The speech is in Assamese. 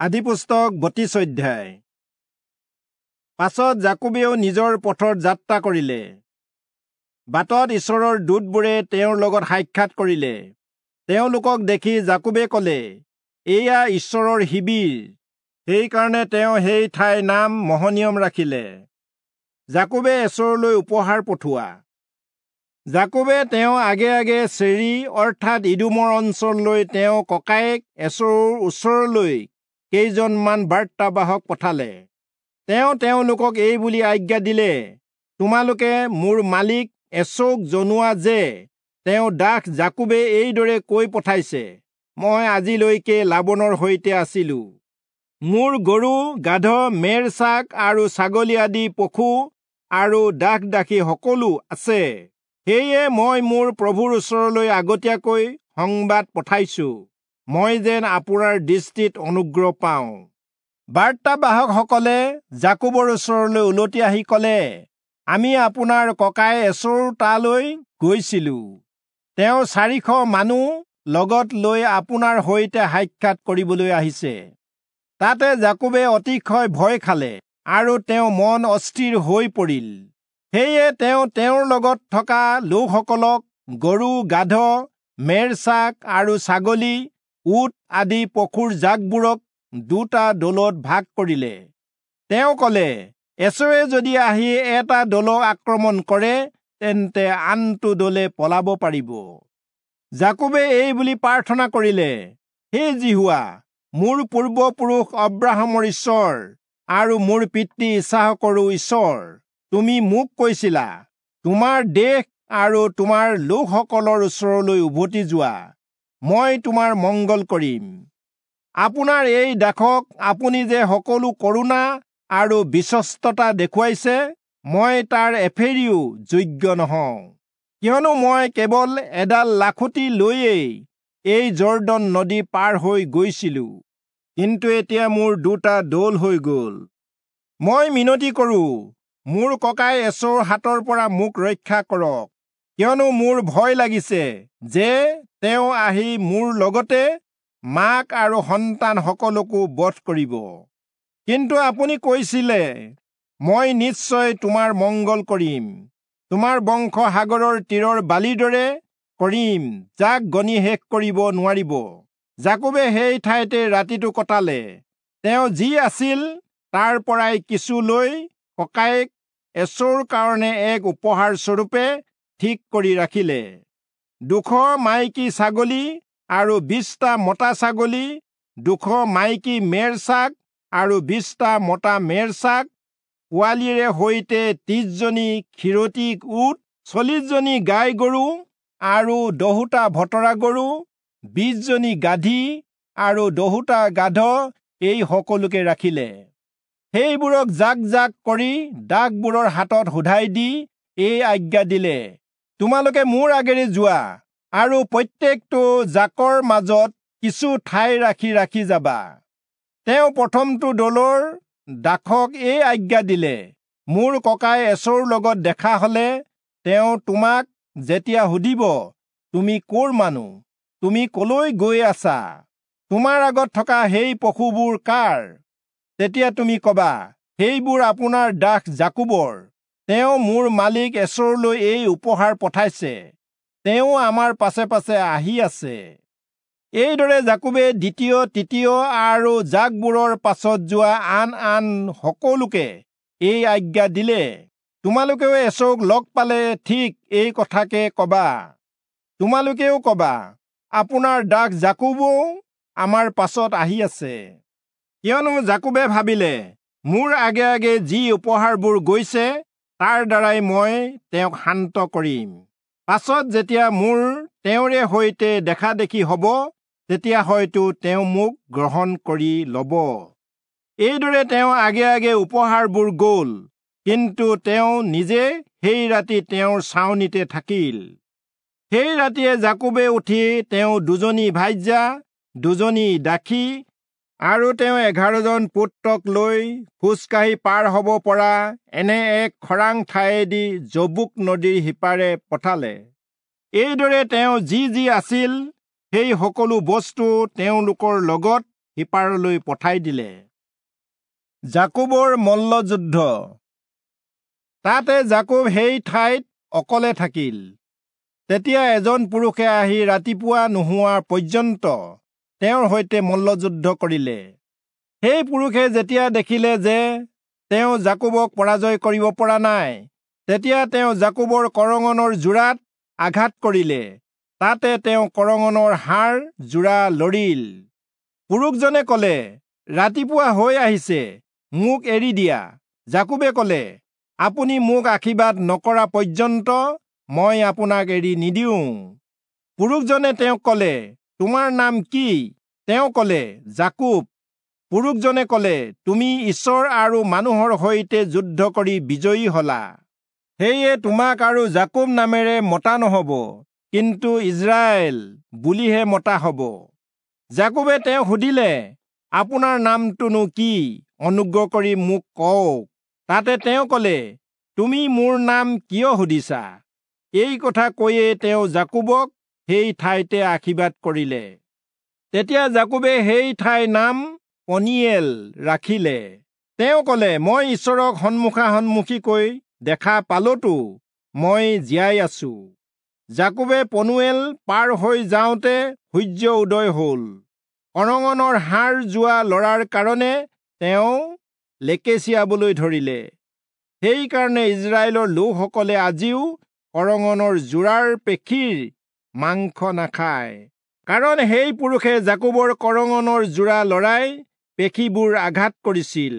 আদিপুস্তক 32 অধ্যায়। পাছত যাকোবেও নিজৰ পথত যাত্ৰা কৰিলে। বাটত ঈশ্বৰৰ দূতবোৰে তেওঁৰ লগত সাক্ষাৎ কৰিলে। তেওঁলোকক দেখি যাকোবে কলে, এয়া ঈশ্বৰৰ শিবিৰ। সেইকাৰণে তেওঁ সেই ঠাইৰ নাম মহনিয়ম ৰাখিলে। যাকোবে এচৌলৈ উপহাৰ পঠোৱা। যাকোবে তেওঁ আগে আগে চেৰি অৰ্থাৎ ইদোমৰ অঞ্চললৈ তেওঁ ককায়েক এচৌৰ ওচৰলৈ কেইজনমান বাৰ্তাবাহক পঠালে। তেওঁ তেওঁলোকক এই বুলি আজ্ঞা দিলে, তোমালোকে মোৰ মালিক এচৌক জনোৱা যে তেওঁ দাস যাকোবে এইদৰে কৈ পঠাইছে, মই আজিলৈকে লাবনৰ সৈতে আছিলো। মোৰ গৰু, গাধ, মেৰ ছাগ আৰু ছাগলী আদি পশু আৰু দাস দাসী সকলো আছে। সেয়ে মই মোৰ প্ৰভুৰ ওচৰলৈ আগতীয়াকৈ সংবাদ পঠাইছো, মই যেন আপোনাৰ দৃষ্টিত অনুগ্ৰহ পাওঁ। বাৰ্তাবাহকসকলে যাকোবৰ ওচৰলৈ উলটি আহি কলে, আমি আপোনাৰ ককাই এচৌৰ তালৈ গৈছিলো। তেওঁ 400 মানুহ লগত লৈ আপোনাৰ সৈতে সাক্ষাৎ কৰিবলৈ আহিছে। তাতে যাকোবে অতিশয় ভয় খালে আৰু তেওঁ মন অস্থিৰ হৈ পৰিল। সেয়ে তেওঁ তেওঁৰ লগত থকা লোকসকলক গৰু, গাধ, মেৰ ছাগ আৰু ছাগলী, উট আদি পশুৰ জাকবোৰক দুটা দলত ভাগ কৰিলে। তেওঁ কলে, এচৌৱে যদি আহি এটা দলক আক্ৰমণ কৰে, তেন্তে আনটো দলে পলাব পাৰিব। যাকোবে এই বুলি প্ৰাৰ্থনা কৰিলে, হে যিহোৱা, মোৰ পূৰ্বপুৰুষ অব্ৰাহামৰ ঈশ্বৰ আৰু মোৰ পিতৃ ইচাহকৰো ঈশ্বৰ, তুমি মোক কৈছিলা, তোমাৰ দেশ আৰু তোমাৰ লোকসকলৰ ওচৰলৈ উভতি যোৱা, মই তোমাৰ মংগল কৰিম। আপোনাৰ এই দাসক আপুনি যে সকলো কৰুণা আৰু বিশ্বস্ততা দেখুৱাইছে, মই তাৰ এফেৰিও যোগ্য নহওঁ। কিয়নো মই কেৱল এডাল লাখুটি লৈয়েই এই যৰ্দন নদী পাৰ হৈ গৈছিলো, কিন্তু এতিয়া মোৰ দুটা দল হৈ গ'ল। মই মিনতি কৰো, মোৰ ককাই এচৌৰ হাতৰ পৰা মোক ৰক্ষা কৰক, কিয়নো মোৰ ভয় লাগিছে যে তেওঁ আহি মোৰ লগতে মাক আৰু সন্তান সকলকো বধ কৰিব। কিন্তু আপুনি কৈছিলে, মই নিশ্চয় তোমাৰ মংগল কৰিম, তোমাৰ বংশ সাগৰৰ তীৰৰ বালিৰ দৰে কৰিম, যাক গণি শেষ কৰিব নোৱাৰিব। যাকোবে সেই ঠাইতে ৰাতিটো কটালে। তেওঁ যি আছিল তাৰ পৰাই কিছু লৈ ককায়েক এচৌৰ কাৰণে এক উপহাৰ স্বৰূপে ঠিক কৰি ৰাখিলে। 200 মাইকী ছাগলী আৰু 20টা মতা ছাগলী, 200 মাইকী মেৰ ছাগ আৰু 20টা মতা মেৰ ছাগ, পোৱালিৰে সৈতে 30জনী খীৰতী উট, 40জনী গাই গৰু আৰু 10টা ভতৰা গৰু, 20জনী গাধী আৰু 10টা গাধ, এই সকলোকে ৰাখিলে। সেইবোৰক জাক জাক কৰি দাসবোৰৰ হাতত শোধাই দি এই আজ্ঞা দিলে, তোমালোকে মোৰ আগেৰে যোৱা আৰু প্ৰত্যেকটো জাকৰ মাজত কিছু ঠাই ৰাখি ৰাখি যাবা। তেওঁ প্ৰথমটো দলৰ দাসক এই আজ্ঞা দিলে, মোৰ ককাই এচৌৰ লগত দেখা হলে তেওঁ তোমাক যেতিয়া সুধিব, তুমি ক'ৰ মানুহ, তুমি কলৈ গৈ আছা, তোমাৰ আগত থকা সেই পশুবোৰ কাৰ, তেতিয়া তুমি কবা, সেইবোৰ আপোনাৰ দাস যাকোবৰ। তেওঁ মোৰ মালিক এচৌলৈ এই উপহাৰ পঠাইছে, তেওঁ আমাৰ পাছে পাছে আহি আছে। এইদৰে যাকোবে দ্বিতীয়, তৃতীয় আৰু জাকবোৰৰ পাছত যোৱা আন আন সকলোকে এই আজ্ঞা দিলে, তোমালোকেও এচৌক লগ পালে ঠিক এই কথাকে কবা। তোমালোকেও কবা, আপোনাৰ দাস যাকোবও আমাৰ পাছত আহি আছে। কিয়নো যাকোবে ভাবিলে, মোৰ আগে আগে যি উপহাৰবোৰ গৈছে তাৰ দ্বাৰাই মই তেওঁক শান্ত কৰিম। পাছত যেতিয়া মোৰ তেওঁৰে সৈতে দেখা দেখি হ'ব, তেতিয়া হয়তো তেওঁ মোক গ্ৰহণ কৰি ল'ব। এইদৰে তেওঁ আগে আগে উপহাৰবোৰ গ'ল, কিন্তু তেওঁ নিজে সেই ৰাতি তেওঁৰ ছাউনিতে থাকিল। সেই ৰাতিয়ে যাকোবে উঠি তেওঁ 2জনী ভাৰ্যা, 2জনী দাসী আৰু তেওঁ 11জন পুত্ৰক লৈ খোজকাঢ়ি পাৰ হ'ব পৰা এনে এক খৰাং ঠাইয়েদি যব্বোক নদীৰ সিপাৰে পঠালে। এইদৰে তেওঁ যি যি আছিল সেই সকলো বস্তু তেওঁলোকৰ লগত সিপাৰলৈ পঠাই দিলে। যাকোবৰ মল্লযুদ্ধ। তাতে যাকোব সেই ঠাইত অকলে থাকিল। তেতিয়া এজন পুৰুষে আহি ৰাতিপুৱা নোহোৱা পৰ্যন্ত তেওঁৰ সৈতে মল্লযুদ্ধ কৰিলে। সেই পুৰুষে যেতিয়া দেখিলে যে তেওঁ যাকোবক পৰাজয় কৰিব পৰা নাই, তেতিয়া তেওঁ যাকোবৰ কৰঙনৰ যোৰাত আঘাত কৰিলে। তাতে তেওঁ কৰঙনৰ হাড় যোৰা লৰিল। পুৰুষজনে কলে, ৰাতিপুৱা হৈ আহিছে, মোক এৰি দিয়া। যাকোবে কলে, আপুনি মোক আশীৰ্বাদ নকৰা পৰ্যন্ত মই আপোনাক এৰি নিদিওঁ। পুৰুষজনে তেওঁক কলে, তোমাৰ নাম কি? তেওঁ কলে, যাকোব। পুৰুষজনে কলে, তুমি ঈশ্বৰ আৰু মানুহৰ সৈতে যুদ্ধ কৰি বিজয়ী হলা। সেয়ে তোমাক আৰু যাকোব নামেৰে মতা নহব, কিন্তু ইস্ৰায়েল বুলিহে মতা হব। যাকোবে তেওঁক সুধিলে, আপোনাৰ নামটোনো কি? অনুগ্ৰহ কৰি মোক কওক। তাতে তেওঁ কলে, তুমি মোৰ নাম কিয় সুধিছা? এই কথা কৈয়ে তেওঁ যাকোবক সেই ঠাইতে আশীৰ্বাদ কৰিলে। তেতিয়া যাকোবে সেই ঠাইৰ নাম পনিয়েল ৰাখিলে। তেওঁ কলে, মই ঈশ্বৰক সন্মুখা সন্মুখীকৈ দেখা পালোতো মই জীয়াই আছো। যাকোবে পনুৱেল পাৰ হৈ যাওঁতে সূৰ্য উদয় হল। কৰঙনৰ হাড় যোৱা লৰাৰ কাৰণে তেওঁ লেকেচিয়াবলৈ ধৰিলে। সেইকাৰণে ইস্ৰায়েলৰ লোকসকলে আজিও কৰঙনৰ যোৰাৰ পেশীৰ মাংস নাখায়, কাৰণ সেই পুৰুষে যাকোবৰ কৰঙনৰ যোৰা লৰাই পেশীবোৰ আঘাত কৰিছিল।